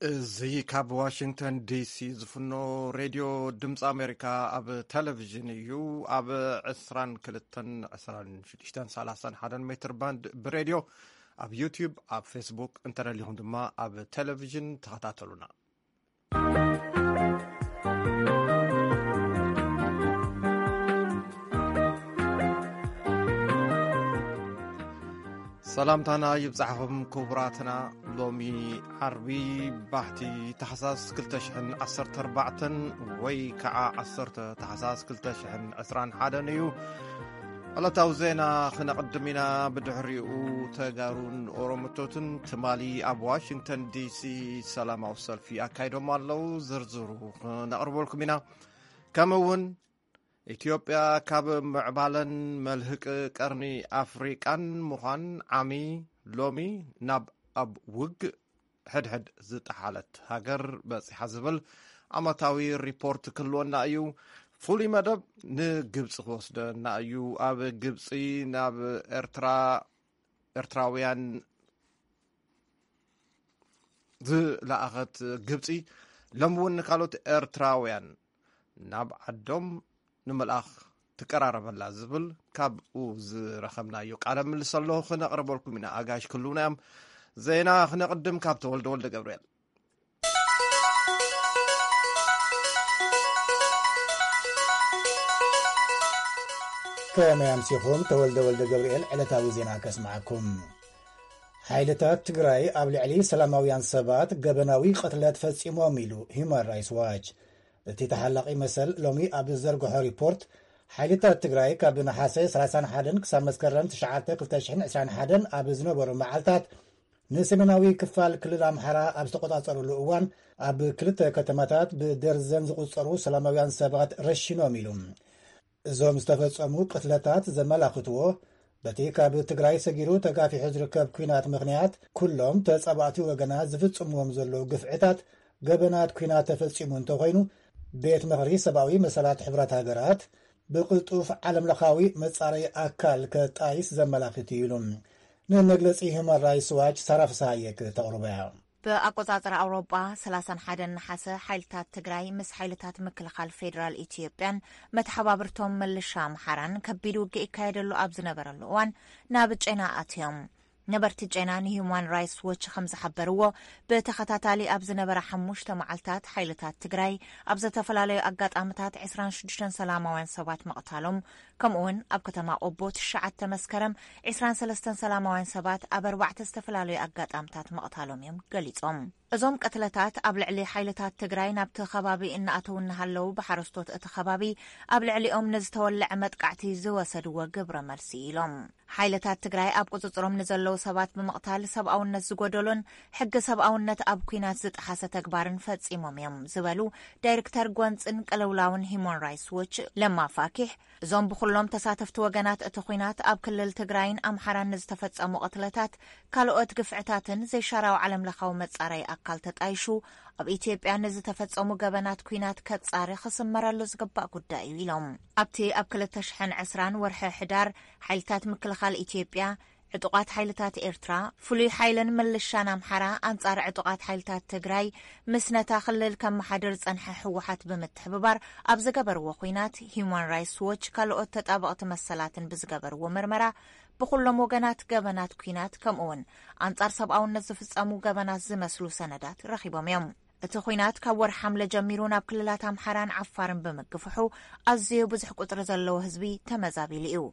እዚ ካብ ዋሽንግተን ዲሲ ዝፍኖ ሬድዮ ድምፂ ኣሜሪካ ኣብ ቴሌቪዥን እዩ። ኣብ ዕስራን ክልተን፣ ዕስራን ሽዱሽተን፣ ሰላሳን ሓደን ሜትር ባንድ ብሬድዮ፣ ኣብ ዩቲዩብ፣ ኣብ ፌስቡክ፣ እንተደሊኹም ድማ ኣብ ቴሌቪዥን ተኸታተሉና። ሰላምታና ይብጻሕኹም ክቡራትና። ሎሚ ዓርቢ ባሕቲ ታሕሳስ ክልተ ሽሕን ዓሰርተ ኣርባዕተን ወይ ከዓ ዓሰርተ ታሕሳስ ክልተ ሽሕን ዕስራን ሓደን እዩ። ዕለታዊ ዜና ክነቕድም ኢና። ብድሕሪኡ ተጋሩን ኦሮሞቶትን ትማሊ ኣብ ዋሽንግተን ዲሲ ሰላማዊ ሰልፊ ኣካይዶም ኣለዉ። ዝርዝሩ ክነቕርበልኩም ኢና። ከምኡ እውን ኢትዮጵያ ካብ ምዕባለን መልህቅ ቀርኒ ኣፍሪቃን ምዃን ዓሚ ሎሚ ናብ ኣብ ውግእ ሕድሕድ ዝጠሓለት ሃገር በጺሓ ዝብል ዓመታዊ ሪፖርት ክህልወና እዩ። ፍሉይ መደብ ንግብጺ ክወስደና እዩ። ኣብ ግብጺ ናብ ኤርትራ፣ ኤርትራውያን ዝለኣኸት ግብጺ ሎም እውን ንካልኦት ኤርትራውያን ናብ ዓዶም ንምልኣኽ ትቀራረበላ ዝብል ካብኡ ዝረኸብናዮ ቃለ ምልልስ ኣሎ ክነቕርበልኩም ኢና። ኣጋይሽ ክህልውና እዮም። ዜና ክነቕድም ካብ ተወልደ ወልደ ገብርኤል። ከመይ ኣምሲኹም? ተወልደ ወልደ ገብርኤል ዕለታዊ ዜና ከስምዓኩም። ሓይልታት ትግራይ ኣብ ልዕሊ ሰላማውያን ሰባት ገበናዊ ቅትለት ፈጺሞም ኢሉ ሂውማን ራይትስ ዋች። እቲ ተሓላቒ መሰል ሎሚ ኣብ ዝዘርግሖ ሪፖርት፣ ሓይልታት ትግራይ ካብ ነሓሰ ሰላሳን ሓደን ክሳብ መስከረም ትሽዓተ ክልተ ሽሕን ዕስራን ሓደን ኣብ ዝነበሩ መዓልታት ንሰሜናዊ ክፋል ክልል ኣምሓራ ኣብ ዝተቆጻጸሩሉ እዋን ኣብ ክልተ ከተማታት ብደርዘን ዝቑጸሩ ሰላማውያን ሰባት ረሺኖም ኢሉ። እዞም ዝተፈጸሙ ቅትለታት ዘመላኽትዎ በቲ ካብ ትግራይ ሰጊሩ ተጋፊሑ ዝርከብ ኲናት ምኽንያት ኩሎም ተጻባእቲ ወገናት ዝፍጽምዎም ዘለዉ ግፍዕታት ገበናት ኲናት ተፈጺሙ እንተኾይኑ ቤት ምኽሪ ሰብኣዊ መሰላት ሕብረት ሃገራት ብቕልጡፍ ዓለምለኻዊ መጻረዪ ኣካል ከጣይስ ዘመላኽት እዩ ኢሉ። ንመግለጺ ሂውማን ራይትስ ዋች ሳራ ፍስሃየ ክተቕርቦ እያ። ብኣቆጻጽራ ኣውሮጳ ሰላሳን ሓደን ነሓሰ ሓይልታት ትግራይ ምስ ሓይልታት ምክልኻል ፌዴራል ኢትዮጵያን መተሓባብርቶም ምልሻ ኣምሓራን ከቢድ ውግእ ይካየደሉ ኣብ ዝነበረሉ እዋን ናብ ጨና ኣትዮም። ነበርቲ ጨና ንሂውማን ራይትስ ዎች ከም ዝሓበርዎ፣ ብተኸታታሊ ኣብ ዝነበረ ሓሙሽተ መዓልታት ሓይልታት ትግራይ ኣብ ዝተፈላለዩ ኣጋጣምታት ዕስራን ሽዱሽተን ሰላማውያን ሰባት ምቕታሎም፣ ከምኡውን ኣብ ከተማ ቆቦ ትሽዓተ መስከረም ዕስራን ሰለስተን ሰላማውያን ሰባት ኣብ ኣርባዕተ ዝተፈላለዩ ኣጋጣምታት ምቕታሎም እዮም ገሊጾም። እዞም ቅትለታት ኣብ ልዕሊ ሓይልታት ትግራይ ናብቲ ከባቢ እናኣተዉ እናሃለዉ ብሓረስቶት እቲ ከባቢ ኣብ ልዕሊኦም ንዝተወለዐ መጥቃዕቲ ዝወሰድዎ ግብረ መልሲ ኢሎም። ሓይልታት ትግራይ ኣብ ቁጽጽሮም ንዘለዉ ሰባት ብምቕታል ሰብኣውነት ዝጎደሎን ሕጊ ሰብኣውነት ኣብ ኲናት ዝጠሓሰ ተግባርን ፈጺሞም እዮም ዝበሉ ዳይሬክተር ጎንጽን ቅልውላውን ሂውማን ራይትስ ዎች ለማ ፋኪሕ፣ እዞም ብኹሎም ተሳተፍቲ ወገናት እቲ ኲናት ኣብ ክልል ትግራይን ኣምሓራን ንዝተፈጸሙ ቅትለታት፣ ካልኦት ግፍዕታትን ዘይሻራዊ ዓለምለኻዊ መጻረዪ ኣካል ተጣይሹ ኣብ ኢትዮጵያ ንዝተፈጸሙ ገበናት ኲናት ከጻሪ ክስመረሉ ዝግባእ ጉዳይ እዩ ኢሎም። ኣብቲ ኣብ ክልተ ሽሕን ዕስራን ወርሒ ሕዳር ሓይልታት ምክልኻል ኢትዮጵያ ዕጡቓት ሓይልታት ኤርትራ፣ ፍሉይ ሓይልን ምልሻን ኣምሓራ ኣንጻር ዕጡቓት ሓይልታት ትግራይ ምስ ነታ ክልል ከመሓድር ዝጸንሐ ህወሓት ብምትሕብባር ኣብ ዝገበርዎ ኲናት፣ ሂውማን ራይትስ ዎች ካልኦት ተጣበቕቲ መሰላትን ብዝገበርዎ ምርመራ፣ ብኹሎም ወገናት ገበናት ኲናት ከምኡውን ኣንጻር ሰብኣውነት ዝፍጸሙ ገበናት ዝመስሉ ሰነዳት ረኺቦም እዮም። እቲ ኲናት ካብ ወርሒ ሓምለ ጀሚሩ ናብ ክልላት ኣምሓራን ዓፋርን ብምግፍሑ ኣዝዩ ብዙሕ ቁጽሪ ዘለዎ ህዝቢ ተመዛቢሉ እዩ።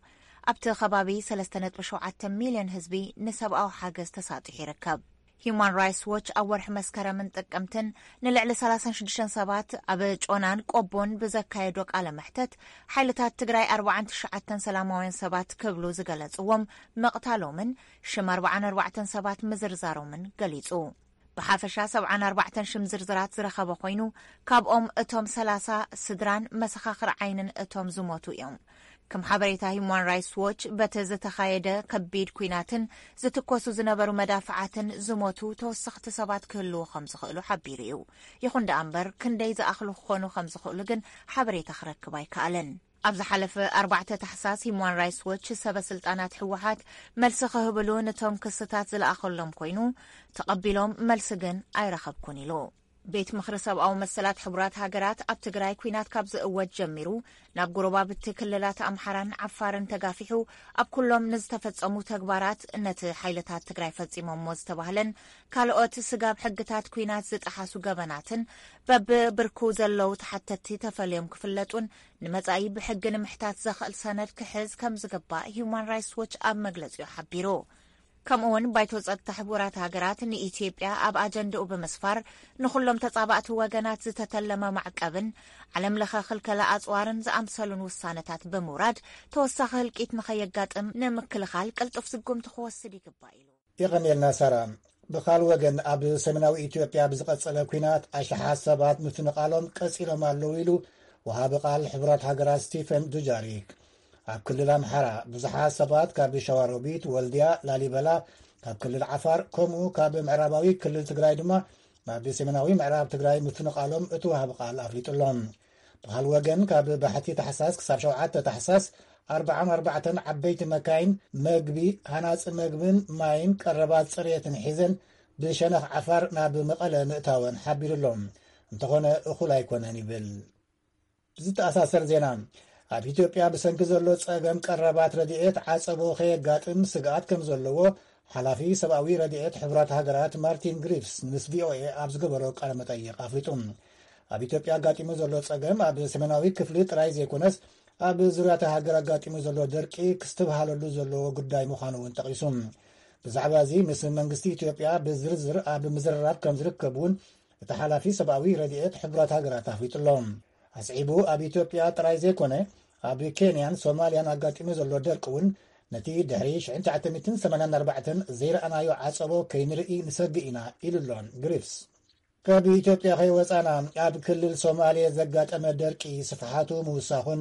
ኣብቲ ከባቢ ሰለስተ ነጥቢ ሸውዓተ ሚልዮን ህዝቢ ንሰብኣዊ ሓገዝ ተሳጢሑ ይርከብ። ሂውማን ራይትስ ዎች ኣብ ወርሒ መስከረምን ጥቅምትን ንልዕሊ ሰላሳን ሽዱሽተን ሰባት ኣብ ጮናን ቆቦን ብዘካየዶ ቃለ መሕተት፣ ሓይልታት ትግራይ ኣርባዓን ትሽዓተን ሰላማውያን ሰባት ክብሉ ዝገለጽዎም ምቕታሎምን ሽም ኣርባዓን ኣርባዕተን ሰባት ምዝርዛሮምን ገሊጹ። ብሓፈሻ ሰብዓን ኣርባዕተን ሽም ዝርዝራት ዝረኸበ ኮይኑ፣ ካብኦም እቶም ሰላሳ ስድራን መሰኻኽር ዓይንን እቶም ዝሞቱ እዮም። ከም ሓበሬታ ሂውማን ራይትስ ዎች፣ በቲ ዝተኻየደ ከቢድ ኲናትን ዝትኮሱ ዝነበሩ መዳፍዓትን ዝሞቱ ተወሰኽቲ ሰባት ክህልዉ ከም ዝኽእሉ ሓቢሩ እዩ። ይኹን ደኣ እምበር፣ ክንደይ ዝኣኽሉ ክኾኑ ከም ዝኽእሉ ግን ሓበሬታ ክረክብ ኣይከኣለን። ኣብ ዝሓለፈ ኣርባዕተ ታሕሳስ ሂዩማን ራይትስ ዎች ሰበ ስልጣናት ህወሓት መልሲ ክህብሉ ነቶም ክስታት ዝለኣኸሎም ኮይኑ፣ ተቐቢሎም መልሲ ግን ኣይረኸብኩን ኢሉ። ቤት ምኽሪ ሰብኣዊ መሰላት ሕቡራት ሃገራት ኣብ ትግራይ ኲናት ካብ ዝእወጅ ጀሚሩ ናብ ጎረባብቲ ክልላት ኣምሓራን ዓፋርን ተጋፊሑ ኣብ ኩሎም ንዝተፈጸሙ ተግባራት ነቲ ሓይልታት ትግራይ ፈጺሞሞ ዝተባህለን ካልኦት ስጋብ ሕግታት ኲናት ዝጠሓሱ ገበናትን በብብርኩ ዘለዉ ተሓተትቲ ተፈልዮም ክፍለጡን ንመጻኢ ብሕጊ ንምሕታት ዘኽእል ሰነድ ክሕዝ ከም ዝግባእ ሂዩማን ራይትስ ዎች ኣብ መግለጺኡ ሓቢሩ። ከምኡውን ባይቶ ጸጥታ ሕቡራት ሃገራት ንኢትዮጵያ ኣብ ኣጀንድኡ ብምስፋር ንኹሎም ተጻባእቲ ወገናት ዝተተለመ ማዕቀብን ዓለም ለኸ ክልከላ ኣጽዋርን ዝኣምሰሉን ውሳነታት ብምውራድ ተወሳኺ ህልቂት ንኸየጋጥም ንምክልኻል ቅልጡፍ ስጉምቲ ክወስድ ይግባእ ኢሉ። የቐንየልና ሳራ። ብኻል ወገን ኣብ ሰሜናዊ ኢትዮጵያ ብዝቐጸለ ኲናት ኣሽሓት ሰባት ምፍንቓሎም ቀጺሎም ኣለዉ ኢሉ ወሃቢ ቃል ሕቡራት ሃገራት ስቲፈን ዱጃሪክ። ኣብ ክልል ኣምሓራ ብዙሓት ሰባት ካብ ሸዋሮቢት፣ ወልድያ፣ ላሊበላ፣ ካብ ክልል ዓፋር ከምኡ ካብ ምዕራባዊ ክልል ትግራይ ድማ ናብ ሰሜናዊ ምዕራብ ትግራይ ምፍንቓሎም እቲ ወሃቢ ቃል ኣፍሊጡሎም። ብኻል ወገን ካብ ባሕቲ ታሕሳስ ክሳብ ሸውዓተ ታሕሳስ ኣርባዓን ኣርባዕተን ዓበይቲ መካይን መግቢ፣ ሃናፂ መግብን ማይን ቀረባት ፅሬትን ሒዘን ብሸነኽ ዓፋር ናብ መቐለ ምእታወን ሓቢሩሎም። እንተኾነ እኹል ኣይኮነን ይብል። ብዝተኣሳሰር ዜና፣ ኣብ ኢትዮጵያ ብሰንኪ ዘሎ ጸገም ቀረባት ረድኤት ዓጸቦ ከየጋጥም ስግኣት ከም ዘለዎ ሓላፊ ሰብኣዊ ረድኤት ሕቡራት ሃገራት ማርቲን ግሪፍስ ምስ ቪኦኤ ኣብ ዝገበሮ ቃለ መጠይቕ ኣፍሊጡ። ኣብ ኢትዮጵያ ኣጋጢሙ ዘሎ ጸገም ኣብ ሰሜናዊ ክፍሊ ጥራይ ዘይኮነስ ኣብ ዙርያታ ሃገር ኣጋጢሙ ዘሎ ደርቂ ክስትብሃለሉ ዘለዎ ጉዳይ ምዃኑ እውን ጠቒሱ። ብዛዕባ እዚ ምስ መንግስቲ ኢትዮጵያ ብዝርዝር ኣብ ምዝርራብ ከም ዝርከብ እውን እቲ ሓላፊ ሰብኣዊ ረድኤት ሕቡራት ሃገራት ኣፍሊጡ ኣሎ። ኣስዒቡ ኣብ ኢትዮጵያ ጥራይ ዘይኮነ ኣብ ኬንያን ሶማልያን ኣጋጢሙ ዘሎ ደርቂ እውን ነቲ ድሕሪ ሽሕን ትሽዓተ ሚእትን ሰማንያን ኣርባዕተን ዘይረኣናዮ ዓጸቦ ከይንርኢ ንሰግእ ኢና ኢሉ ኣሎ ግሪፍስ። ካብ ኢትዮጵያ ከይወጻና ኣብ ክልል ሶማሌ ዘጋጠመ ደርቂ ስፍሓቱ ምውሳኹን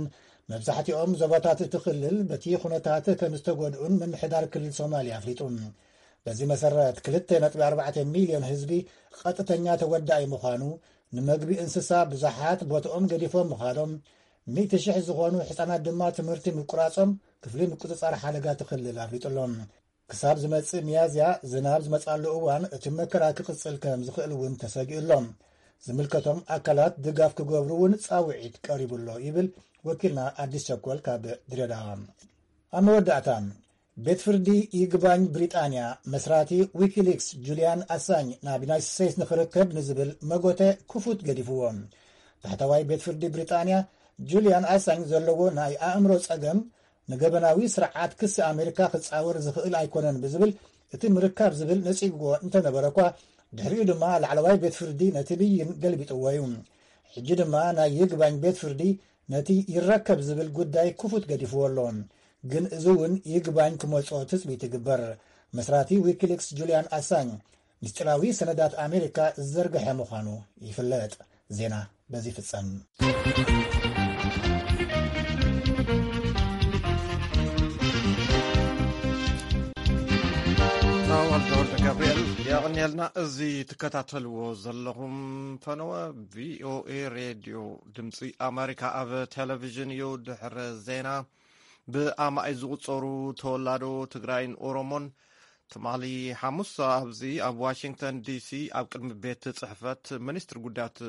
መብዛሕትኦም ዞባታት እቲ ክልል በቲ ኩነታት ከም ዝተጎድኡን ምምሕዳር ክልል ሶማሌ ኣፍሊጡ። በዚ መሰረት ክልተ ነጥቢ ኣርባዕተ ሚልዮን ህዝቢ ቀጥተኛ ተወዳኢ ምዃኑ፣ ንመግቢ እንስሳ ብዙሓት ቦትኦም ገዲፎም ምዃኖም፣ ሚእቲ ሽሕ ዝኾኑ ሕጻናት ድማ ትምህርቲ ምቁራጾም ክፍሊ ምቁጽጻር ሓደጋ እቲ ክልል ኣፍሊጡ ኣሎ። ክሳብ ዝመጽእ ሚያዝያ ዝናብ ዝመጻሉ እዋን እቲ መከራ ክቕጽል ከም ዝኽእል እውን ተሰጊኡ ኣሎ። ዝምልከቶም ኣካላት ድጋፍ ክገብሩ እውን ጻውዒት ቀሪቡ ኣሎ ይብል ወኪልና ኣዲስ ቸኮል ካብ ድሬዳዋ። ኣብ መወዳእታ ቤት ፍርዲ ይግባኝ ብሪጣንያ መስራቲ ዊኪሊክስ ጁልያን ኣሳኝ ናብ ዩናይትድ ስቴትስ ንኽርከብ ንዝብል መጎተ ክፉት ገዲፍዎ። ታሕተዋይ ቤት ፍርዲ ብሪጣንያ ጁልያን ኣሳኝ ዘለዎ ናይ ኣእምሮ ጸገም ንገበናዊ ስርዓት ክሲ ኣሜሪካ ክጻወር ዝኽእል ኣይኮነን ብዝብል እቲ ምርካብ ዝብል ነጺግዎ እንተነበረ እኳ ድሕሪኡ ድማ ላዕለዋይ ቤት ፍርዲ ነቲ ብይን ገልቢጥዎ እዩ። ሕጂ ድማ ናይ ይግባኝ ቤት ፍርዲ ነቲ ይረከብ ዝብል ጉዳይ ክፉት ገዲፍዎ ኣሎ። ግን እዚ እውን ይግባኝ ክመጾ ትጽቢት ይግበር። መስራቲ ዊኪሊክስ ጁልያን ኣሳኝ ምስጢራዊ ሰነዳት ኣሜሪካ ዝዘርግሐ ምዃኑ ይፍለጥ። ዜና በዚ ይፍጸም። ተወልደ ወልደ ገብርኤል የቕንየልና። እዚ ትከታተልዎ ዘለኹም ፈነወ ቪኦኤ ሬድዮ ድምፂ ኣሜሪካ ኣብ ቴሌቪዥን እዩ። ድሕሪ ዜና ብኣማኢት ዝቑጸሩ ተወላዶ ትግራይን ኦሮሞን ትማሊ ሓሙስ ኣብዚ ኣብ ዋሽንግተን ዲሲ ኣብ ቅድሚ ቤት ጽሕፈት ሚኒስትሪ ጉዳያት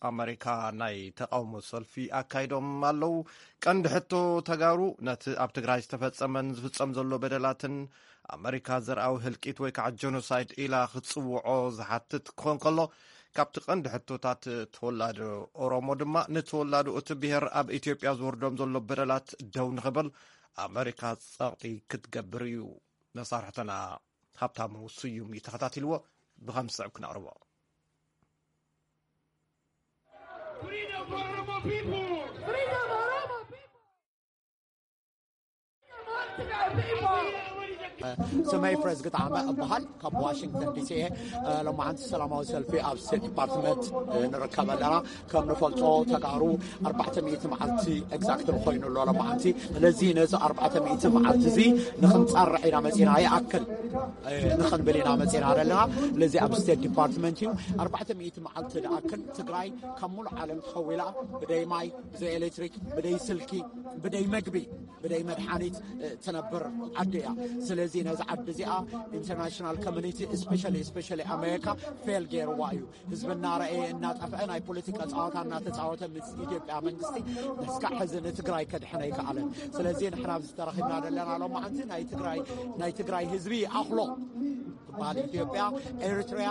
ኣመሪካ ናይ ተቃውሞ ሰልፊ ኣካይዶም ኣለዉ። ቀንዲ ሕቶ ተጋሩ ነቲ ኣብ ትግራይ ዝተፈጸመን ዝፍጸም ዘሎ በደላትን ኣመሪካ ዘርኣዊ ህልቂት ወይ ከዓ ጀኖሳይድ ኢላ ክትጽውዖ ዝሓትት ክኾን ከሎ ካብቲ ቀንዲ ሕቶታት ተወላዶ ኦሮሞ ድማ ንተወላዶ እቲ ብሔር ኣብ ኢትዮጵያ ዝወርዶም ዘሎ በደላት ደው ንኽብል ኣመሪካ ጸቕጢ ክትገብር እዩ። መሳርሕትና ሃብታሙ ስዩም እዩ ተኸታቲልዎ። ብኸም ዝስዕብ ክነቕርቦ። Freedom for Oromo people! Freedom for Oromo people! Freedom for Tigray people! ስመይ ፍረዝ ግጣዕመ እበሃል፣ ካብ ዋሽንግተን ዲሲ እየ። ሎማዓንቲ ሰላማዊ ሰልፊ ኣብ ስቴት ዲፓርትመንት ንርከብ ኣለና። ከም ንፈልጦ፣ ተጋሩ ኣርባዕተ ሚእቲ መዓልቲ ኤግዛክት ኮይኑ ኣሎ ሎማዓንቲ። ስለዚ ነዚ ኣርባዕተ ሚእቲ መዓልቲ እዚ ንክንፀርዕ ኢና መፂና፣ ይኣክል ንክንብል ኢና መፂና ዘለና። ስለዚ ኣብ ስቴት ዲፓርትመንት እዩ። ኣርባዕተ ሚእቲ መዓልቲ ዝኣክል ትግራይ ካብ ሙሉእ ዓለም ተኸዊላ፣ ብደይ ማይ፣ ብዘይ ኤሌክትሪክ፣ ብደይ ስልኪ፣ ብደይ መግቢ፣ ብደይ መድሓኒት ትነብር ዓዲ እያ። ስለዚ ነዚ ዓዲ እዚኣ ኢንተርናሽናል ኮሚኒቲ፣ ስፔሻሊ ስፔሻሊ ኣሜሪካ፣ ፌል ገይርዋ እዩ። ህዝቢ እናረኣየ እናጠፍአ፣ ናይ ፖለቲካ ፀዋታ እናተፃወተ ምስ ኢትዮጵያ መንግስቲ እስካዕ ሕዚ ንትግራይ ከድሕን ኣይከኣለን። ስለዚ ንሕና ኣብዚ ተረኺብና ዘለና ሎማዓንቲ ናይ ትግራይ ናይ ትግራይ ህዝቢ ይኣኽሎ ትበሃል። ኢትዮጵያ፣ ኤርትርያ፣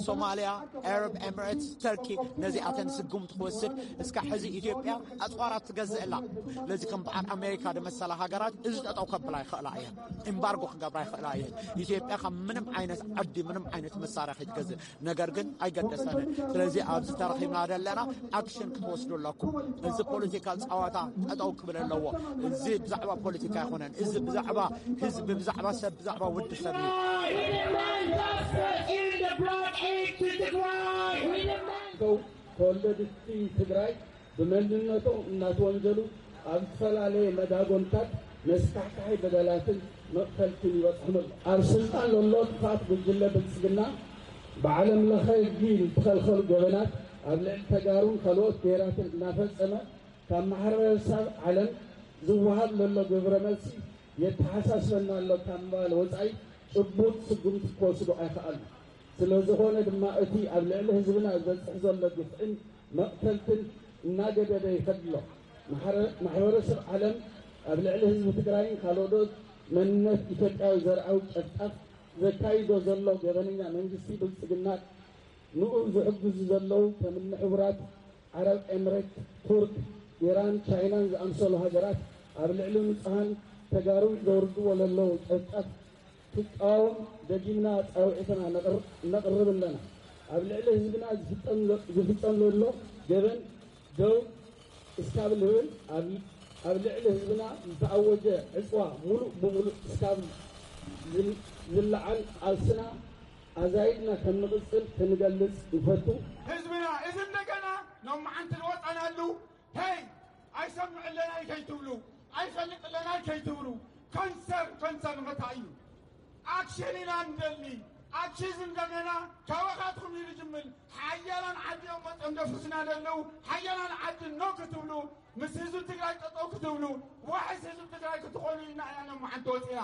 ሶማልያ፣ ኣረብ ኤምሬትስ፣ ተርኪ፣ ነዚኣተን ስጉምቲ ክወስድ እስካዕ ሕዚ ኢትዮጵያ ኣፅዋራት ትገዝእ ኣላ። ስለዚ ከም በዓል ኣሜሪካ ዝመሰላ ሃገራት እዚ ጠጠው ከብላ ይኽእላ እየን፣ ኤምባርጎ ክገብራ ይኽእላ እየን። ኢትዮጵያ ካብ ምንም ዓይነት ዓዲ ምንም ዓይነት መሳርያ ከይትገዝእ፣ ነገር ግን ኣይገደሰንን። ስለዚ ኣብዚ ተረኺብና ዘለና ኣክሽን ክትወስዱ ኣለኩም። እዚ ፖለቲካል ፀዋታ ጠጠው ክብል ኣለዎ። እዚ ብዛዕባ ፖለቲካ ኣይኮነን። እዚ ብዛዕባ ህዝቢ፣ ብዛዕባ ሰብ፣ ብዛዕባ ውዲ ሰብ እዩ። ተወለድቲ ትግራይ ብመንነቶም እናተወንጀሉ ኣብ ዝተፈላለየ መዳጎንታት መስካሕካሒ በደላትን መቕተልትን ይበፅሖም ኣሎ። ኣብ ስልጣን ዘሎ ጥፋት ጉጅለ ብልፅግና ብዓለም ለኸ ህጊ ዝተኸልኸሉ ገበናት ኣብ ልዕሊ ተጋሩን ካልኦት ብሄራትን እናፈፀመ ካብ ማሕበረሰብ ዓለም ዝወሃብ ዘሎ ግብረ መልሲ የተሓሳስበና ኣሎ ካብ ምባል ወፃኢ ጭቡጥ ስጉምቲ ክወስዱ ኣይኸኣሉ። ስለዝኾነ ድማ እቲ ኣብ ልዕሊ ህዝብና ዝበፅሕ ዘሎ ግፍዕን መቕተልትን እናገደደ ይኸድ ኣሎ። ማሕበረሰብ ዓለም ኣብ ልዕሊ ህዝቢ ትግራይን ካልኦት መንነት ኢትዮጵያዊ ዘርኣዊ ጨፍጫፍ ዘካይዶ ዘሎ ገበነኛ መንግስቲ ብልፅግና ንኡ ዝሕግዙ ዘለዉ ከምኒ ሕቡራት ዓረብ ኤምሬት፣ ቱርክ፣ ኢራን፣ ቻይናን ዝኣምሰሉ ሃገራት ኣብ ልዕሊ ንፁሃን ተጋሩ ዘውርድዎ ዘለዉ ጨፍጫፍ ክቃወም ደጊምና ፃውዒትና ነቕርብ ኣለና። ኣብ ልዕሊ ህዝብና ዝፍፀም ዘሎ ገበን ደው እስካብ ልብል ኣብ ልዕሊ ህዝብና ዝተኣወጀ ዕፅዋ ሙሉእ ብሙሉእ እስካብ ዝለዓል ቃልስና ኣዛይድና ከም ንቕፅል ክንገልፅ ንፈቱ። ህዝብና እዚ እንደገና ሎማዓንቲ ዝወፀናሉ ሄይ ኣይሰምዕለናይ ከይትብሉ ኣይፈልጥለናይ ከይትብሉ ኮንሰር ኮንሰር መታ እዩ ኣክሽን ኢና ንደሊ ኣክሽን እንደገና ካባኻትኩም እዩ ዝጅምር ሓያላን ዓዲ እዮም መፅኦም ደፍስና ዘለዉ ሓያላን ዓዲ ኖ ክትብሉ ምስ ህዝቢ ትግራይ ጠጠው ክትብሉ ዋሕስ ህዝቢ ትግራይ ክትኾኑ ኢና ኢና ሎማዓንቲ ወፂና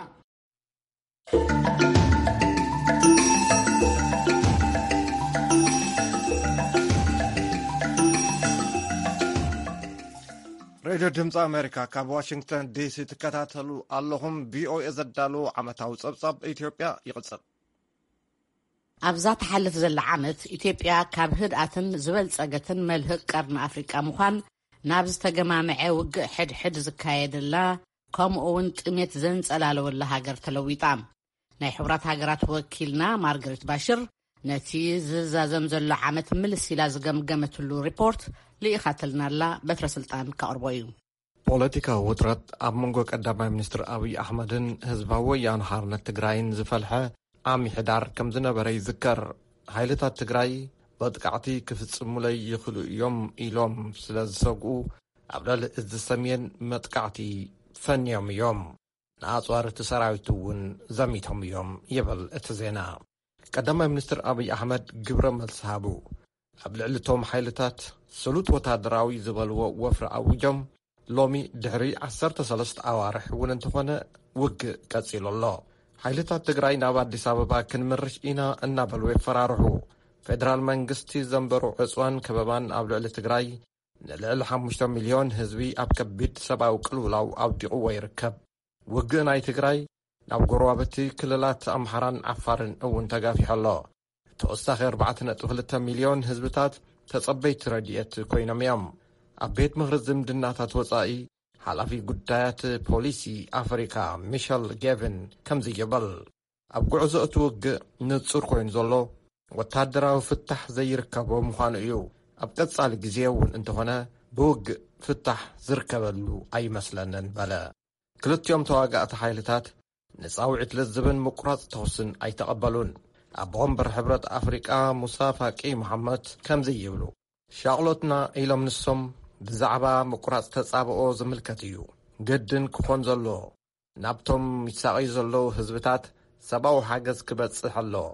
ሬድዮ ድምፂ ኣሜሪካ ካብ ዋሽንግተን ዲሲ ትከታተሉ ኣለኹም። ቪኦኤ ዘዳለዎ ዓመታዊ ፀብፃብ ኢትዮጵያ ይቕፅል። ኣብዛ ትሓልፍ ዘላ ዓመት ኢትዮጵያ ካብ ህድኣትን ዝበልፀገትን መልህቕ ቀርኒ ኣፍሪቃ ምዃን ናብ ዝተገማምዐ ውግእ ሕድሕድ ዝካየደላ ከምኡ እውን ጥሜት ዘንጸላለወላ ሃገር ተለዊጣ። ናይ ሕቡራት ሃገራት ወኪልና ማርገሪት ባሽር ነቲ ዝዛዘም ዘሎ ዓመት ምልስ ኢላ ዝገምገመትሉ ሪፖርት ልኢኻትልናላ። በትረ ስልጣን ካቕርቦ እዩ። ፖለቲካዊ ውጥረት ኣብ መንጎ ቀዳማይ ሚኒስትር ኣብይ ኣሕመድን ህዝባዊ ወያነ ሓርነት ትግራይን ዝፈልሐ ዓሚ ሕዳር ከም ዝነበረ ይዝከር። ሓይልታት ትግራይ መጥቃዕቲ ክፍጽሙለይ ይኽእሉ እዮም ኢሎም ስለ ዝሰግኡ ኣብ ልዕሊ እዚ ሰሜን መጥቃዕቲ ፈንዮም እዮም። ንኣፅዋር እቲ ሰራዊት እውን ዘሚቶም እዮም ይብል እቲ ዜና። ቀዳማይ ሚኒስትር ኣብይ ኣሕመድ ግብረ መልሲ ሃቡ። ኣብ ልዕሊ እቶም ሓይልታት ስሉጥ ወታደራዊ ዝበልዎ ወፍሪ ኣዊጆም ሎሚ ድሕሪ ዓሰርተ ሰለስተ ኣዋርሕ እውን እንተኾነ ውግእ ቀፂሉ ኣሎ። ሓይልታት ትግራይ ናብ ኣዲስ ኣበባ ክንምርሽ ኢና እናበሉ የፈራርሑ። ፌደራል መንግስቲ ዘንበሩ ዕፅዋን ከበባን ኣብ ልዕሊ ትግራይ ንልዕሊ ሓሙሽተ ሚልዮን ህዝቢ ኣብ ከቢድ ሰብኣዊ ቅልውላው ኣውዲቕዎ ይርከብ። ውግእ ናይ ትግራይ ናብ ጎረባብቲ ክልላት ኣምሓራን ዓፋርን እውን ተጋፊሑ ኣሎ። ተወሳኺ ኣርባዕተ ነጥቢ ክልተ ሚልዮን ህዝብታት ተጸበይቲ ረድኤት ኮይኖም እዮም። ኣብ ቤት ምኽሪ ዝምድናታት ወጻኢ ሓላፊ ጉዳያት ፖሊሲ ኣፍሪካ ሚሸል ጌቪን ከምዚ ይብል። ኣብ ጉዕዞ እቲ ውግእ ንጹር ኮይኑ ዘሎ ወታደራዊ ፍታሕ ዘይርከቦ ምዃኑ እዩ። ኣብ ቀጻሊ ግዜ እውን እንተኾነ ብውግእ ፍታሕ ዝርከበሉ ኣይመስለንን በለ። ክልቲኦም ተዋጋእቲ ሓይልታት ንጻውዒት ልዝብን ምቁራጽ ተኹስን ኣይተቐበሉን። ኣቦ ወንበር ሕብረት ኣፍሪቃ ሙሳ ፋቂ መሓመድ ከምዚ ይብሉ። ሻቕሎትና ኢሎም ንሶም ብዛዕባ ምቁራጽ ተጻብኦ ዝምልከት እዩ። ግድን ክኾን ዘለዎ ናብቶም ይሳቐዩ ዘለዉ ህዝብታት ሰብኣዊ ሓገዝ ክበጽሕ ኣለዎ።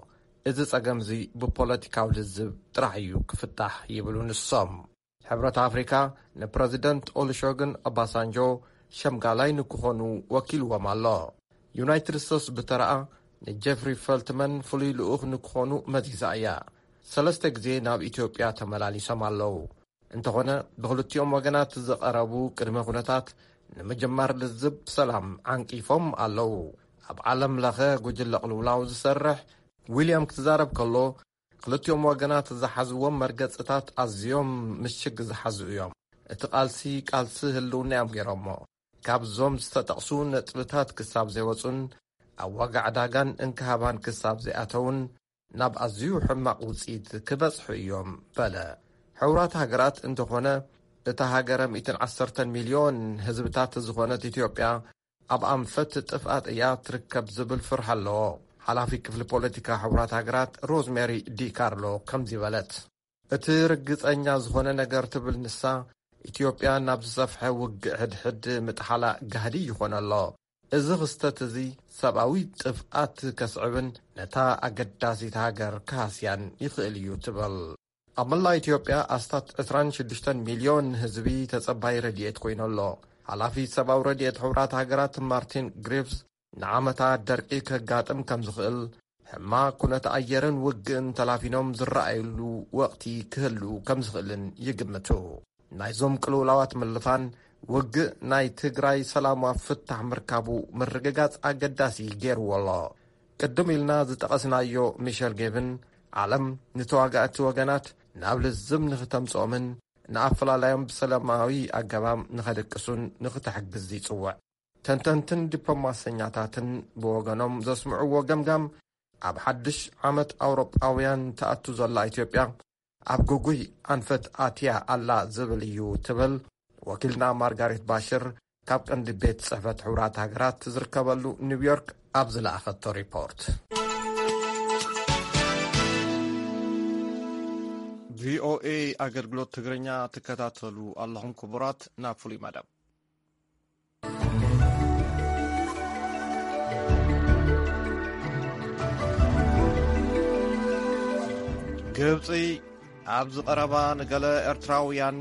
እዚ ጸገምዚ ብፖለቲካዊ ልዝብ ጥራሕ እዩ ክፍታሕ ይብሉ ንሶም። ሕብረት ኣፍሪካ ንፕረዚደንት ኦሉሸጉን ኦባሳንጆ ሸምጋላይ ንክኾኑ ወኪልዎም ኣሎ። ዩናይትድ ስቴትስ ብተረኣ ንጀፍሪ ፈልትመን ፍሉይ ልኡኽ ንክኾኑ መዚዛ እያ። ሰለስተ ግዜ ናብ ኢትዮጵያ ተመላሊሶም ኣለዉ። እንተኾነ ብክልቲኦም ወገናት ዝቐረቡ ቅድመ ኩነታት ንምጅማር ልዝብ ሰላም ዓንቂፎም ኣለዉ። ኣብ ዓለም ለኸ ጉጅለ ቅልውላው ዝሰርሕ ዊልያም ክዛረብ ከሎ ክልቲኦም ወገናት ዝሓዝዎም መርገጽታት ኣዝዮም ምሽግ ዝሓዙ እዮም። እቲ ቃልሲ ቃልሲ ህልውና እዮም ገይሮሞ። ካብዞም ዝተጠቕሱ ነጥብታት ክሳብ ዘይወጹን ኣብ ዋጋ ዕዳጋን እንክሃባን ክሳብ ዘይኣተውን ናብ ኣዝዩ ሕማቕ ውጽኢት ክበጽሑ እዮም በለ። ሕቡራት ሃገራት እንተኾነ እታ ሃገረ ሚእትን ዓሰርተን ሚልዮን ህዝብታት ዝኾነት ኢትዮጵያ ኣብ ኣንፈት ጥፍኣት እያ ትርከብ ዝብል ፍርሒ ኣለዎ። ሓላፊ ክፍሊ ፖለቲካ ሕቡራት ሃገራት ሮዝሜሪ ዲካርሎ ከምዚ በለት። እቲ ርግጸኛ ዝኾነ ነገር ትብል ንሳ፣ ኢትዮጵያ ናብ ዝሰፍሐ ውግእ ሕድሕድ ምጥሓላ ጋህዲ ይኾነ ኣሎ። እዚ ክስተት እዚ ሰብኣዊ ጥፍኣት ከስዕብን ነታ ኣገዳሲት ሃገር ክሃስያን ይኽእል እዩ ትብል። ኣብ መላእ ኢትዮጵያ ኣስታት ዕስራን ሽዱሽተን ሚልዮን ህዝቢ ተጸባይ ረድኤት ኮይኑ ኣሎ። ሓላፊ ሰብኣዊ ረድኤት ሕቡራት ሃገራት ማርቲን ግሪፍስ ንዓመታት ደርቂ ከጋጥም ከም ዝኽእል፣ ሕማቕ ኩነት ኣየርን ውግእን ተላፊኖም ዝረኣየሉ ወቕቲ ክህሉ ከም ዝኽእልን ይግምቱ። ናይዞም ቅልውላዋት ምልፋን ውግእ ናይ ትግራይ ሰላማዊ ፍታሕ ምርካቡ ምርግጋጽ ኣገዳሲ ገይርዎ ኣሎ። ቅድም ኢልና ዝጠቐስናዮ ሚሸል ጌብን ዓለም ንተዋጋእቲ ወገናት ናብ ልዝብ ንኽተምጽኦምን ንኣፈላላዮም ብሰላማዊ ኣገባብ ንኸድቅሱን ንኽተሕግዝ ይጽውዕ። ተንተንትን ዲፕሎማሰኛታትን ብወገኖም ዘስምዕዎ ገምጋም ኣብ ሓድሽ ዓመት ኣውሮጳውያን ትኣቱ ዘላ ኢትዮጵያ ኣብ ግጉይ ኣንፈት ኣትያ ኣላ ዝብል እዩ ትብል ወኪልና ማርጋሬት ባሽር ካብ ቀንዲ ቤት ጽሕፈት ሕቡራት ሃገራት ዝርከበሉ ኒውዮርክ ኣብ ዝለኣኸቶ ሪፖርት። ቪኦኤ ኣገልግሎት ትግርኛ ትከታተሉ ኣለኹም ክቡራት። ናብ ፍሉይ መደብ። ግብጺ ኣብዚ ቀረባ ንገለ ኤርትራውያን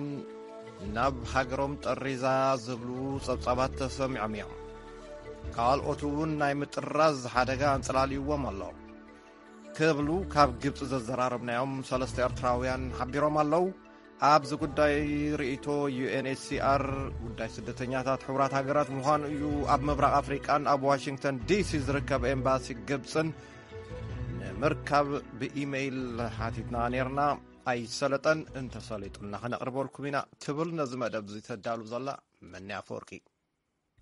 ናብ ሃገሮም ጠሪዛ ዝብሉ ጸብጻባት ተሰሚዖም እዮም። ካልኦት እውን ናይ ምጥራዝ ሓደጋ ኣንጸላልይዎም ኣሎ ክብሉ ካብ ግብጺ ዘዘራረብናዮም ሰለስተ ኤርትራውያን ሓቢሮም ኣለዉ። ኣብዚ ጉዳይ ርእይቶ ዩኤንኤችሲኣር ጉዳይ ስደተኛታት ሕቡራት ሃገራት ምዃኑ እዩ ኣብ ምብራቕ ኣፍሪቃን ኣብ ዋሽንግተን ዲሲ ዝርከብ ኤምባሲ ግብጽን ንምርካብ ብኢሜይል ሓቲትና ነይርና። ኣይሰለጠን፣ እንተሰሊጡና ከነቕርበልኩም ኢና ትብል ነዚ መደብ እዚ ተዳሉ ዘላ መኒ ኣፈወርቂ።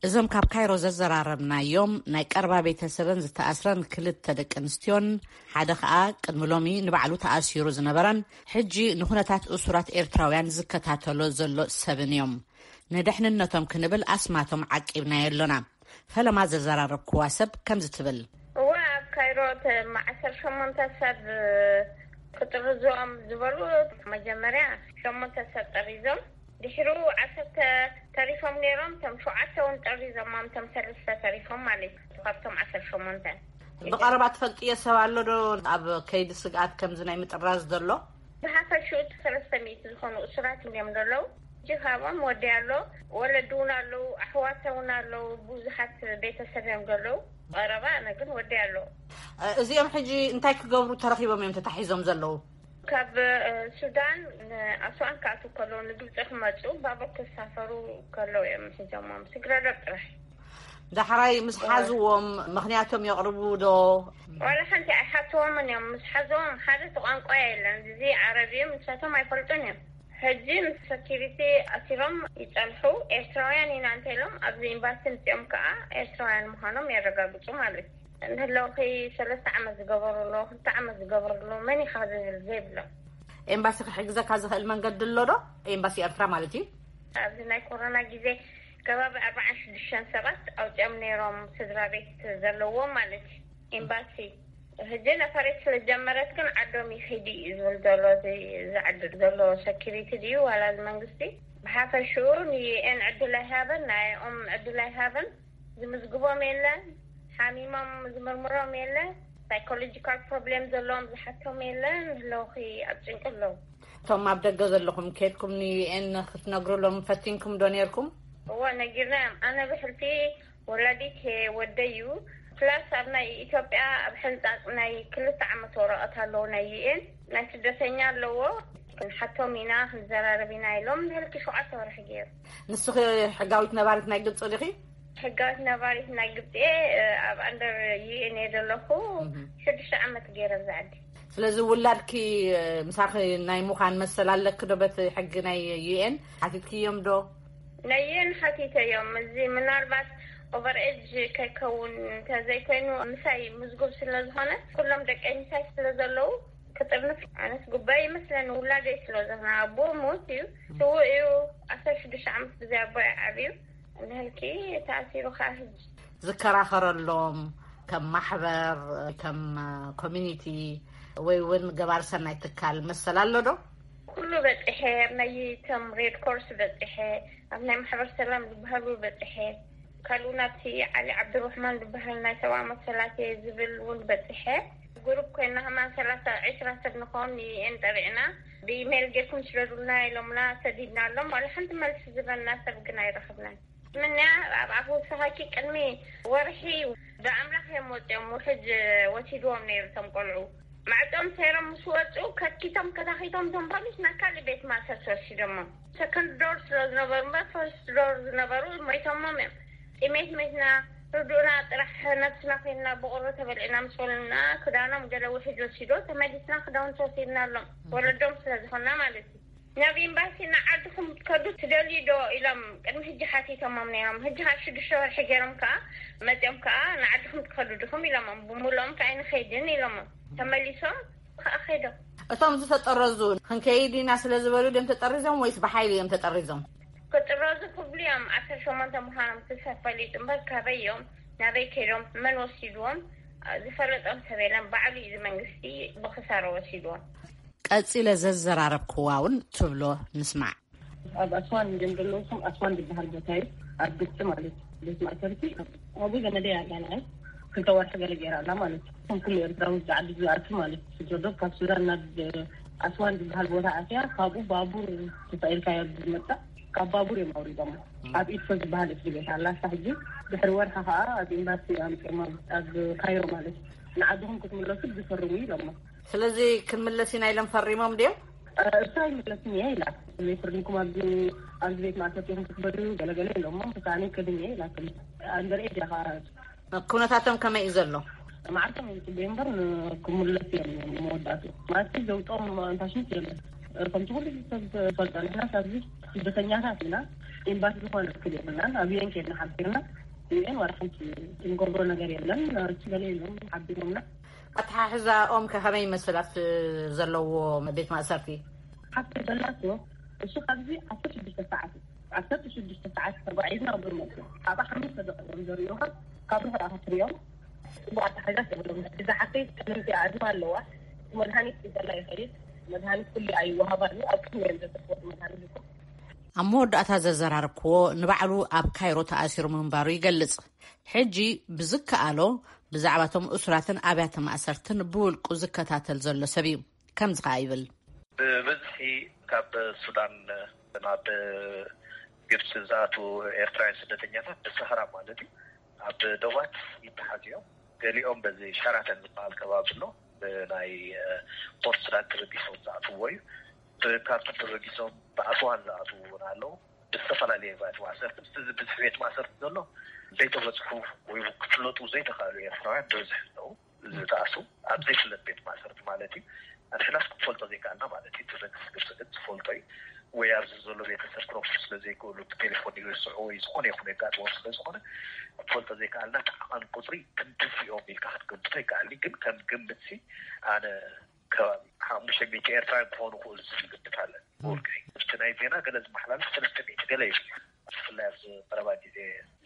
እዞም ካብ ካይሮ ዘዘራረብናዮም ናይ ቀረባ ቤተሰበን ዝተኣስረን ክልተ ደቂ ኣንስትዮን ሓደ ኸኣ ቅድሚ ሎሚ ንባዕሉ ተኣሲሩ ዝነበረን ሕጂ ንኹነታት እሱራት ኤርትራውያን ዝከታተሎ ዘሎ ሰብን እዮም። ንደሕንነቶም ክንብል ኣስማቶም ዓቂብናዮ ኣሎና። ፈለማ ዘዘራረብክዋ ሰብ ከምዚ ትብል። እወ፣ ኣብ ካይሮ ተ-፣ ዓሰርተ ሸሞንተ ሰብ ክጥርዞም ዝበሉ መጀመርያ ሸሞንተ ሰብ ጠሪዞም፣ ድሕሩ ዓሰርተ ተሪፎም ነይሮም። እቶም ሸውዓተ እውን ጠሪዞም፣ እቶም ሰለስተ ተሪፎም ማለት እዩ፣ ካብቶም ዓሰርተ ሸሞንተ። ብቐረባ ትፈልጥዮ ሰብ ኣሎ ዶ ኣብ ከይዲ ስግኣት ከምዚ ናይ ምጥራዝ ዘሎ? ብሓፈሽኡ እቲ ሰለስተ ሚእቲ ዝኾኑ እሱራት እዮም ዘለዉ። ሕጂ ካብኦም ወዲ ኣሎ፣ ወለዲ እውን ኣለዉ፣ ኣሕዋተ እውን ኣለዉ፣ ብዙሓት ቤተሰብ እዮም ዘለዉ። ቀረባ ኣነ ግን ወዲ ኣሎ። እ፣ እዚኦም ሕጂ እንታይ ክገብሩ ተረኺቦም እዮም ተታሒዞም ዘለዉ? ካብ፣ እ፣ ሱዳን ንኣስዋን ክኣትዉ ከለዉ ንግብፂ ክመፁ ባቡር ክሳፈሩ ከለዉ እዮም ሒዞሞም። ስግረ ዶብ ጥራሕ። ዳሕራይ ምስ ሓዝዎም ምኽንያቶም የቕርቡ ዶ? ዋላ ሓንቲ ኣይሓትዎምን እዮም። ምስ ሓዝዎም ሓደ እቲ ቋንቋ የለን። እዚ ዓረብ እዩ፣ ንሳቶም ኣይፈልጡን እዮም። ሕጂ ምስ ሰኪሪቲ ኣሲሮም ይጸንሑ። ኤርትራውያን ኢና እንተ ኢሎም ኣብዚ ኤምባሲ ምጺኦም ከኣ ኤርትራውያን ምዃኖም የረጋግጹ ማለት እዩ። እንህለውኺ ሰለስተ ዓመት ዝገበሩ ኣለዉ፣ ክልተ ዓመት ዝገበሩ ኣለዉ፣ መን ኢኻ ዝብል ዘይብሎም። ኤምባሲ ክሕግዘካ ዝኽእል መንገዲ ኣሎ ዶ? ኤምባሲ ኤርትራ ማለት እዩ። ኣብዚ ናይ ኮሮና ግዜ ከባቢ ኣርባዓን ሽዱሽተን ሰባት ኣውፅኦም ነይሮም፣ ስድራ ቤት ዘለዎም ማለት እዩ። ኤምባሲ ሕጂ ነፈሬት ስለጀመረት ግን ዓዶም ይኸይድ እዩ ዝብል ዘሎ፣ እዚ ዝዓድር ዘሎ ሰኪሪቲ ድዩ ዋላ እዚ መንግስቲ? ብሓፈሽኡ ንዩኤን ዕድል ኣይሃበን፣ ናይኦም ዕድል ኣይሃበን። ዝምዝግቦም የለን፣ ሓሚሞም ዝምርምሮም የለን፣ ሳይኮሎጂካል ፕሮብሌም ዘለዎም ዝሓቶም የለን። ኣለውኺ ኣብ ጭንቂ ኣለዉ። እቶም ኣብ ደገ ዘለኹም ከድኩም ንዩኤን ክትነግሩሎም ፈቲንኩም ዶ ነርኩም? እዎ ነጊርናዮም። ኣነ ብሕልፊ ወላዲት ወደይ እዩ። ፕላስ ኣብ ናይ ኢትዮጵያ ኣብ ሕንፃፅ ናይ ክልተ ዓመት ወረቐት ኣለዎ ናይ ዩኤን ናይ ስደተኛ ኣለዎ። ክንሓቶም ኢና ክንዘራረብ ኢና ኢሎም ንህልኪ ሸውዓተ ወርሒ ገይሩ። ንስኺ ሕጋዊት ነባሪት ናይ ግብፂ ዲኺ? ሕጋዊት ነባሪት ናይ ግብፂ እየ። ኣብ ኣንደር ዩኤን እየ ዘለኹ። ሽዱሽተ ዓመት ገይረ ኣብዚ ዓዲ። ስለዚ ውላድኪ ምሳኺ ናይ ምዃን መሰል ኣለኪ ዶ? በቲ ሕጊ ናይ ዩኤን ሓቲትክዮም ዶ? ናይ ዩኤን ሓቲተዮም። እዚ ምናልባት ኦቨር ኤጅ ከይከውን እንተዘይኮይኑ ምሳይ ምዝጉብ ስለ ዝኾነ ኩሎም ደቀይ ምሳይ ስለ ዘለዉ ክጥርንፍ ኣነስ ጉባኤ ይመስለኒ። ውላደይ ስለ ዝኾነ ኣቦ ሞት እዩ፣ ስዉእ እዩ። ዓሰርተ ሽዱሽተ ዓመት ብዘይ ኣቦ እዩ ዓብዩ። ንህልኪ ተኣሲሩ ከዓ ሕጂ ዝከራኸረሎም ከም ማሕበር፣ ከም ኮሚኒቲ ወይ እውን ገባር ሰናይ ትካል መሰል ኣሎ ዶ? ኩሉ በፂሐ፣ ኣብ ናይ ቶም ሬድ ኮርስ በፂሐ፣ ኣብ ናይ ማሕበር ሰላም ዝበሃሉ በፂሐ፣ ካልኡ ናብቲ ዓሊ ዓብዱራሕማን ዝበሃል ናይ ሰብኣዊ መሰላት እየ ዝብል እውን በፂሐ። ግሩፕ ኮይና ከማን ሰላሳ ዒስራ ሰብ ንኸውን ንኤን ጠሪዕና ብኢሜይል ጌርኩም ስደዱልና ኢሎምና ሰዲድናሎም። ዋላ ሓንቲ መልሲ ዝበና ሰብ ግን ኣይረኸብናን። ምንያ ኣብ ኣፍ ወሰኻኪ ቅድሚ ወርሒ ብኣምላኽ እዮም ወፂኦም። ውሕጅ ወሲድዎም ነይሩ። እቶም ቆልዑ ማዕፆም ሰይሮም ምስ ወፁ ከኪቶም ከታኺቶም እቶም ፖሊስ ናብ ካልእ ቤት ማእሰርቲ ወሲዶሞም። ሰከንድ ዶር ስለ ዝነበሩ እምበር ፈርስት ዶር ዝነበሩ ሞይቶሞም እዮም። ጥሜት ሜትና ርዱእና ጥራሕ ነብስና ኮይንና ብቁሪ ተበሊዕና ምስ በሉና ክዳኖም ገለ ውሕጅ ወሲዶ ተመሊስና ክዳውንቲ ወሲድናሎም ወለዶም ስለ ዝኾንና ማለት እዩ። ናብ ኤምባሲ ንዓድኹም ክትከዱ ትደልዩ ዶ ኢሎም ቅድሚ ሕጂ ሓቲቶሞም ነይሮም። ሕጂ ካብ ሽዱሽተ ወርሒ ገይሮም ከዓ መፂኦም ከዓ ንዓድኹም ትከዱ ድኹም ኢሎሞም። ብምልኦም ከዓ ኣይንኸይድን ኢሎሞም። ተመሊሶም ከዓ ከይዶም። እቶም ዝተጠረዙ ክንከይድ ኢና ስለ ዝበሉ ድዮም ተጠሪዞም ወይስ ብሓይሊ እዮም ተጠሪዞም? ክጥረዙ ክብሉ እዮም። ዓሰርተ ሸሞንተ ምዃኖም እቲ ሰብ ፈሊጡ እምበር ካበይ እዮም ናበይ ከይዶም መን ወሲድዎም ዝፈለጦም ሰብ የለን። ባዕሉ እዩ እዚ መንግስቲ ብክሳራ ወሲድዎም። ቀጺለ ዘዘራረብክዋ እውን ትብሎ ንስማዕ። ኣብ ኣስዋን እዮም ዘለዉ። ከም ኣስዋን ዝበሃል ቦታ እዩ፣ ኣብ ግብፂ ማለት እዩ። ቤት ማእሰርቲ ኣብኡ ዘመደይ ኣላ፣ ንዓይ ክልተ ወርሒ ገለ ገይራ ኣላ ማለት እዩ። ከም ኩሉ ኤርትራዊ ኣብዚ ዓዲ ዝኣቱ ማለት እዩ። ስደዶ ካብ ሱዳን ናብ ኣስዋን ዝበሃል ቦታ ኣትያ፣ ካብኡ ባቡር ተሳኢልካ እዮም ዝመጻ። ካብ ባቡር እዮም ኣውሪዶም። ኣብ ኢድኮ ዝበሃል እስሪ ቤት ኣላ። እሳ ሕጂ ድሕሪ ወርሒ ከዓ ኣብ ኤምባሲ ኣምፅኦም፣ ኣብ ካይሮ ማለት እዩ። ንዓድኹም ክትምለሱ ዝፈርሙ ኢሎሞ። ስለዚ ክንምለስ ኢና ኢሎም ፈሪሞም ድዮም? እሳ ኣይምለስን እየ ኢላ። ዘይፈርድኩም ኣብዚ፣ ኣብዚ ቤት ማእሰርቲ ኢኹም ክትበሉ ገለገለ ኢሎሞ። ብሳኔ ከድም እየ ኢላ። ኣንደር ኤጅ እያ ከዓ። ኩነታቶም ከመይ እዩ ዘሎ? መዓልቶም ይፅበዩ እምበር ክምለሱ እዮም መወዳእቱ። ማለት ዘውፅኦም ኣንታሽንት የለን። ከምቲ ኩሉ ሰብ ዝፈልጦ ንሕና ኣብዚ ስደተኛታት ኢና። ኤምባሲ ዝኾነ ክል የብልናን። ኣብ ዩኤን ከድና ሓቢርና ዩኤን ዋላ ሓንቲ እንገብሮ ነገር የለን። እሱ ገለ ኢሎም ሓቢሮምና። ኣተሓሕዛኦም ከ ከመይ ይመስል ኣብቲ ዘለዎ ቤት ማእሰርቲ? ሓፍተይ ዘላቶ እሱ ካብዚ ዓሰርተ ሽዱሽተ ሰዓት እዩ። ዓሰርተ ሽዱሽተ ሰዓት ተጓዒዝና ኣብኡ መፅኡ። ኣብኣ ሓሙሽተ ደቂቕ እዮም ዘርእዩኻ። ካብ ርሑቕ ኢኻ ትርእዮም። ጽቡቕ ኣተሓሕዛ የብሎም። እዛ ሓፍተይ ጠለምቲ ኣዝማ ኣለዋ። መድሃኒት ሒዘላ ይኸይድ። መድሃኒት ኩሉ ኣይወሃባን እዩ። ኣብ ቅድሚ እዮም ዘሰፍወት መድሃኒት እኮ። ኣብ መወዳእታ ዘዘራረብክዎ ንባዕሉ ኣብ ካይሮ ተኣሲሩ ምንባሩ ይገልጽ። ሕጂ ብዝከኣሎ ብዛዕባ እቶም እሱራትን ኣብያተ ማእሰርትን ብውልቁ ዝከታተል ዘሎ ሰብ እዩ። ከምዚ ኸኣ ይብል። ብብዝሒ ካብ ሱዳን ናብ ግብፂ ዝኣትዉ ኤርትራውያን ስደተኛታት ብሰሃራ ማለት እዩ ኣብ ደባት ይተሓዙ እዮም። ገሊኦም በዚ ሸራተን ዝበሃል ከባቢ ኣሎ፣ ብናይ ፖርት ሱዳን ተበጊሶም ዝኣትውዎ እዩ። ብካርቱም ተበጊሶም ብኣስዋን ዝኣትዉ እውን ኣለዉ። ብዝተፈላለየ ባት ማእሰርቲ ምስቲ እዚ ብዝሒ ቤት ማእሰርቲ ዘሎ ዘይተበፅሑ ወይ ክፍለጡ ዘይተኽኣሉ ኤርትራውያን ብብዝሒ ኣለዉ። ዝተኣስሩ ኣብ ዘይፍለጥ ቤት ማእሰርቲ ማለት እዩ። ንሕናስ ክንፈልጦ ዘይከኣልና ማለት እዩ። እቲ መንግስቲ ግብፂ ግን ዝፈልጦ እዩ። ወይ ኣብዚ ዘሎ ቤተሰብ ክረኽቡ ስለ ዘይክእሉ ብቴሌፎን ይርስዑ ወይ ዝኾነ ይኹን የጋጥሞም ስለ ዝኾነ ክንፈልጦ ዘይከኣልና፣ እቲ ዓቐን ቁፅሪ ክንድዚ እዮም ኢልካ ክትገምቶ ኣይከኣልን። ግን ከም ግምትሲ ኣነ ከባቢ ሓሙሽተ ሚእቲ ኤርትራውያን ክኾኑ ክእሉ ዝብል ግምት ኣለን። ብውልቀይ ምስቲ ናይ ዜና ገለ ዝመሓላለፍ ሰለስተ ሚእቲ ገለ እዩ። ብፍላይ ኣብዚ ቀረባ ግዜ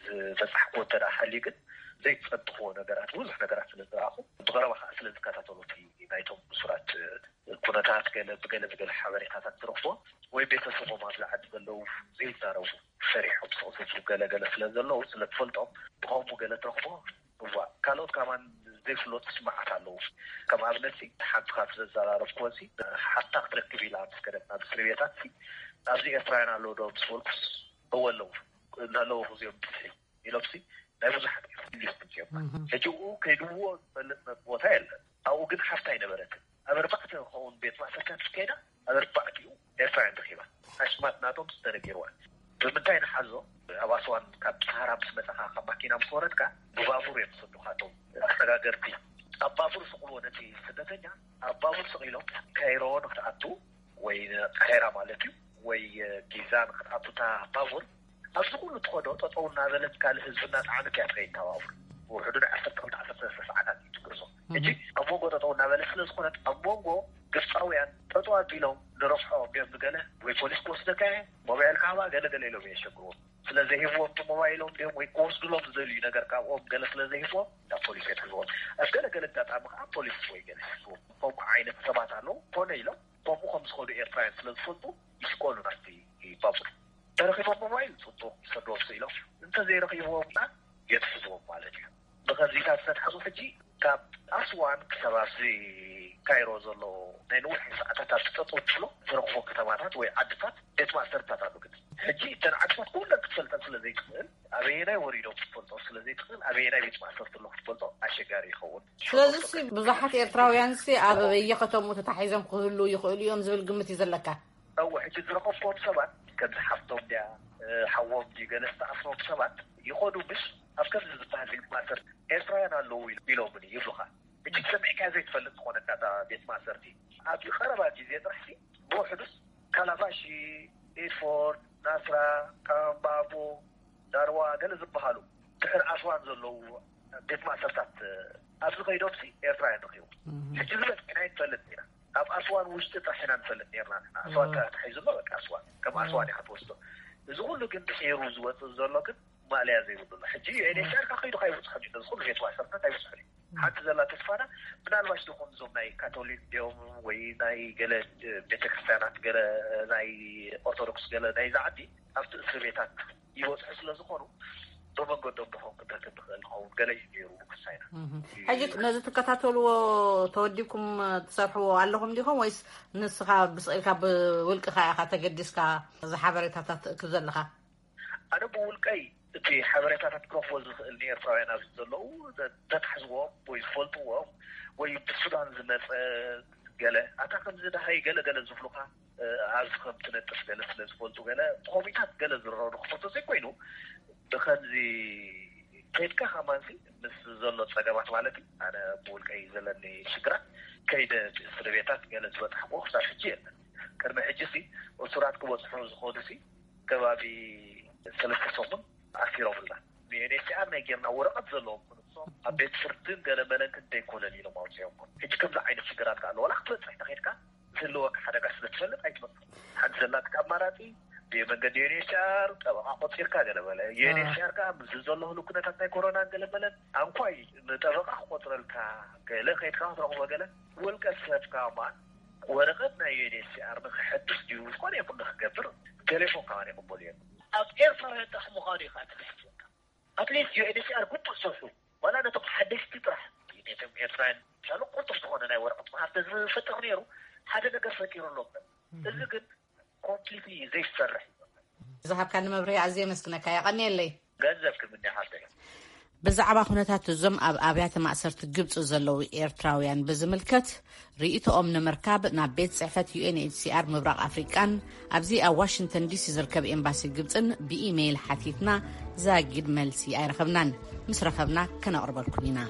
ዝበጻሕክዎ እንተ ደኣ ሃልዩ ግን ዘይትጸብኽዎ ነገራት፣ ብዙሕ ነገራት ስለ ዝረኣኹ፣ ብቐረባ ከኣ ስለ ዝከታተሎ እቲ ናይቶም እሱራት ኩነታት፣ ገለ ብገለ ብገለ ሓበሬታታት ትረኽቦ፣ ወይ ቤተሰቦም ኣብዚ ዓዲ ዘለዉ ዘይዛረቡ፣ ፈሪሖም ስቕ ዝብሉ ገለ ገለ ስለ ዘለዉ፣ ስለ ትፈልጦም፣ ብኸምኡ ገለ ትረኽቦ። እዋ፣ ካልኦት ከማን ዘይፍለጡ ስምዓት ኣለዉ። ከም ኣብነት ሲ፣ ሓንቲ ካብቲ ዘዘራረብክወን ሲ፣ ሓፍታ ክትረክብ ኢላ ምስ ከደት ናብ እስር ቤታት ሲ፣ ኣብዚ ኤርትራውያን ኣለዉ ዶ ምስ በልኩስ፣ እወ ኣለዉ፣ እናለዉ እዚኦም ብዝሒ ኢሎም ሲ፣ ናይ ብዙሓት እዮም ኢንቨስትመንት እዮም። ሕጂ እኡ ከይድዎ ዝፈልጥ ቦታ የለን። ኣብኡ ግን ሓፍታ ኣይነበረትን። ኣብ ኣርባዕተ ክኸውን ቤት ማእሰርታት ከይዳ፣ ኣብ ኣርባዕቲኡ ኤርትራውያን ረኺባ። ኣሽማት ናቶም ዝተነገርዋ። ብምንታይ ንሓዞ? ኣብ ኣስዋን ካብ ሰሃራ ምስ መጻኻ፣ ካብ ማኪና ምስ ወረድካ፣ ብባቡር እዮም ዝሰዱኻ እቶም ኣሰጋገርቲ። ኣብ ባቡር ስቕልዎ ነቲ ስደተኛ፣ ኣብ ባቡር ስቕ ኢሎም ካይሮ ንክትኣቱ፣ ወይ ቃሄራ ማለት እዩ፣ ወይ ጊዛ ንክትኣቱ እታ ባቡር፣ ኣብዚ ኩሉ ትኸዶ ጠጠው እናበለት ካልእ ህዝቢ እናጸዓነት እያ ትኸይድ እታ ባቡር። ብውሕዱ ናይ ዓሰርተ ክልተ ዓሰርተ ሰለስተ ሰዓታት እዩ ትጉዕዞ። ሕጂ ኣብ መንጎ ጠጠው እናበለት ስለ ዝኾነት፣ ኣብ መንጎ ግብጻውያን ጠጠው ኣቢሎም ንረብሖ ቢዮም ንገለ ወይ ፖሊስ ክወስደካ እየ፣ ሞባይል ካባ ገለ ገለ ኢሎም እዮም የሸግርዎም። ስለ ዘይህብዎም እቲ ሞባይሎም ድዮም ወይ ክወስዱሎም ዝደልዩ ነገር ካብኦም ገለ ስለ ዘይህብዎም ናብ ፖሊስ የትሕዝዎም። ኣብ ገለ ገለ ኣጋጣሚ ከዓ ፖሊስ ወይ ገለ ይሕዝዎም። ከምኡ ዓይነት ሰባት ኣለዉ። ኮነ ኢሎም ከምኡ ከም ዝኸዱ ኤርትራውያን ስለ ዝፈልጡ ይስቀሉ ናብቲ ባቡር። ተረኺቦም ሞባይል ጽቡቕ ይሰድዎም ስኢሎም፣ እንተዘይረኺብዎም ከኣ የትሕዝዎም ማለት እዩ። ብኸምዚታት ዝተትሓዙ ሕጂ ካብ ኣስዋን ክሳብ ኣብዚ ካይሮ ዘሎ ናይ ነዊሕ ሰዓታት ኣብ ትጠጠው ትብሎ ትረኽቦ ከተማታት ወይ ዓድታት ቤት ማእሰርታት ኣሎ። ግን ሕጂ እተን ዓድታት ኩለን ክትፈልጠን ስለ ዘይትኽእል፣ ኣበየናይ ወሪዶም ክትፈልጦ ስለ ዘይትኽእል፣ ኣበየናይ ቤት ማእሰርቲ ኣሎ ክትፈልጦ ኣሸጋሪ ይኸውን። ስለዚ ሲ ብዙሓት ኤርትራውያን ሲ ኣብ በየከተምኡ ተታሒዞም ክህሉ ይኽእሉ እዮም ዝብል ግምት እዩ ዘለካ? እወ፣ ሕጂ ዝረኸብክዎም ሰባት ከምዚ ሓፍቶም ድያ፣ እ፣ ሓዎም ድዩ ገለ ዝተኣስሮም ሰባት ይኸዱ ምሽ ኣብ ከምዚ ዝበሃል ቤት ማእሰርቲ ኤርትራውያን ኣለዉ ኢሎ-፣ ኢሎምኒ ይብሉኻ። ሕጂ ሰሚዕካዮ ዘይትፈልጥ ዝኾነካ እታ ቤት ማእሰርቲ። ኣብ ቀረባ ግዜ ጥራሕ ሲ ብውሕዱስ ካላባሺ፣ ኢድፎርድ፣ ናስራ፣ ካምባቦ፣ ዳርዋ ገለ ዝበሃሉ ድሕሪ ኣስዋን ዘለዉ ቤት ማእሰርታት ኣብዚ ከይዶም ሲ ኤርትራውያን ረኺቡ። ሕጂ ዝበዝሐና ኣይንፈልጥ ኢና። ኣብ ኣስዋን ውሽጢ ጥራሕ ኢና ንፈልጥ ነርና። ኣስዋን ተታሒዙ ኣሎ፣ በቃ ኣስዋን ከም ኣስዋን ኢኻ ትወስዶ። እዚ ኩሉ ግን ድሒሩ ዝወፅእ ዘሎ ግን ማእለያ ዘይብሉ ኣሎ። ሕጂ ዩ ኤን ኤች ሲ ኣር ከይዱ ካይበፅሖም እዩ፣ ነዚ ኩሉ ቤት ማእሰርታት ኣይበፅሖም እዩ። ሓንቲ ዘላ ተስፋና ምናልባሽ ዝኾኑ እዞም ናይ ካቶሊክ ድዮም ወይ ናይ ገለ ቤተክርስትያናት፣ ገለ ናይ ኦርቶዶክስ፣ ገለ ናይዚ ዓዲ ኣብቲ እስር ቤታት ይበፅሑ ስለ ዝኾኑ ብመንገዶም ድኾን ክንረክብ ንኽእል ንኸውን ገለ እዩ ነይሩ ክሳይና። ሕጂ ነዚ ትከታተልዎ ተወዲብኩም ትሰርሕዎ ኣለኹም ዲኹም ወይስ ንስኻ ብስቕ ኢልካ ብውልቅኻ ኢኻ ተገዲስካ እዚ ሓበሬታታት ትእክብ ዘለኻ? ኣነ ብውልቀይ እቲ ሓበሬታታት ክረኽቦ ዝኽእል ንኤርትራውያን ኣብዚ ዘለዉ ተታሕዝዎም ወይ ዝፈልጥዎም ወይ ብሱዳን ዝመጸ ገለ ኣታ ከምዚ ደሃይ ገለ ገለ ዝብሉኻ ኣብዚ ከም ትነጥፍ ገለ ስለ ዝፈልጡ ገለ ብኮሚታት ገለ ዝረረዱ ክፈቶ ዘይኮይኑ ብከምዚ ከይድካ ከማንሲ ምስ ዘሎ ጸገማት ማለት እዩ። ኣነ ብውልቀይ ዘለኒ ሽግራት ከይደ እስር ቤታት ገለ ዝበጽሕዎ ክሳብ ሕጂ የለን። ቅድሚ ሕጂ ሲ እሱራት ክበጽሑ ዝኸዱ ሲ ከባቢ ሰለስተ ሰሙን ኣሲሮምልና። ዩ ኤን ኤች ሲ ኣር ናይ ጌርና ወረቐት ዘለዎም ንሶም ኣብ ቤት ፍርድን ገለ መለን ክንደይ ኮለል ኢሎም ኣውፅኦም። ሕጂ ከምዚ ዓይነት ሽግራት ከኣ ኣሎ። ዋላ ክትበፅሕ ተኸድካ ዝህልወካ ሓደጋ ስለ ትፈልጥ ኣይትመፅእ። ሓንቲ ዘላትካ ኣማራፂ ብመንገዲ ዩ ኤን ኤች ሲ ኣር ጠበቓ ቆፂርካ ገለ በለ። ዩ ኤን ኤች ሲ ኣር ከኣ ምስ ዘሎ ህሉ ኩነታት ናይ ኮሮናን ገለ መለን ኣንኳይ ንጠበቓ ክቆፅረልካ ገለ ከይድካ ክትረኽቦ ገለ ውልቀ ሰብ ከማን ወረቐት ናይ ዩ ኤን ኤች ሲ ኣር ንክሐድስ ድዩ ዝኾነ ይኹን ንክገብር ቴሌፎን ከማን ይቕበሉ እዮም። ኣብ ኤርትራ ጥራሕ ምዃኑ እዩ ከዓ ተታሒዝካ። ኣትሊስት ዩ ኤን ኤች ሲ ኣር ግቡእ ዝሰርሑ ዋላ ነቶም ሓደሽቲ ጥራሕ ነቶም ኤርትራውያን ሻሉ ቅልጡፍ ዝኾነ ናይ ወረቐት መሃብ ተዝፈጥር ነይሩ ሓደ ነገር ፈጢሩ ኣሎ። እዚ ግን ኮምፕሊትሊ ዘይሰርሕ እዩ። ዝሃብካኒ መብርሂ ኣዝየ የመስግነካ፣ የቐንየለይ። ገንዘብ ክምኒ ሓፍተይ። ብዛዕባ ኩነታት እዞም ኣብ ኣብያተ ማእሰርቲ ግብጺ ዘለዉ ኤርትራውያን ብዝምልከት ርእይቶኦም ንምርካብ ናብ ቤት ጽሕፈት ዩ ኤን ኤች ሲ ኣር ምብራቕ ኣፍሪቃን ኣብዚ ኣብ ዋሽንግተን ዲ ሲ ዝርከብ ኤምባሲ ግብጽን ብኢሜይል ሓቲትና ዛጊድ መልሲ ኣይረኸብናን። ምስ ረኸብና ከነቕርበልኩም ኢና።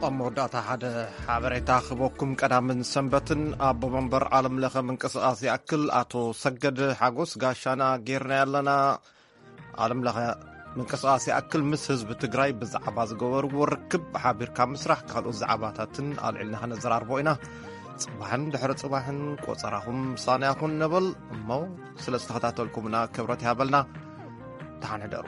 ኣብ መወዳእታ ሓደ ሓበሬታ ክህበኩም። ቀዳምን ሰንበትን ኣቦ መንበር ዓለም ለኸ ምንቅስቓስ ይኣክል ኣቶ ሰገድ ሓጎስ ጋሻና ጌርና ያለና ዓለም ለኸ ምንቅስቓስ ይኣክል ምስ ህዝቢ ትግራይ ብዛዕባ ዝገበርዎ ርክብ ሓቢርካ ምስራሕ ካልኦት ዛዕባታትን ኣልዒልና ከነዘራርቦ ኢና። ጽባሕን ድሕሪ ጽባሕን ቆጸራኹም ምሳና ይኹን ንብል እሞ፣ ስለ ዝተኸታተልኩምና ክብረት ይሃበልና። ደሓን ሕደሩ።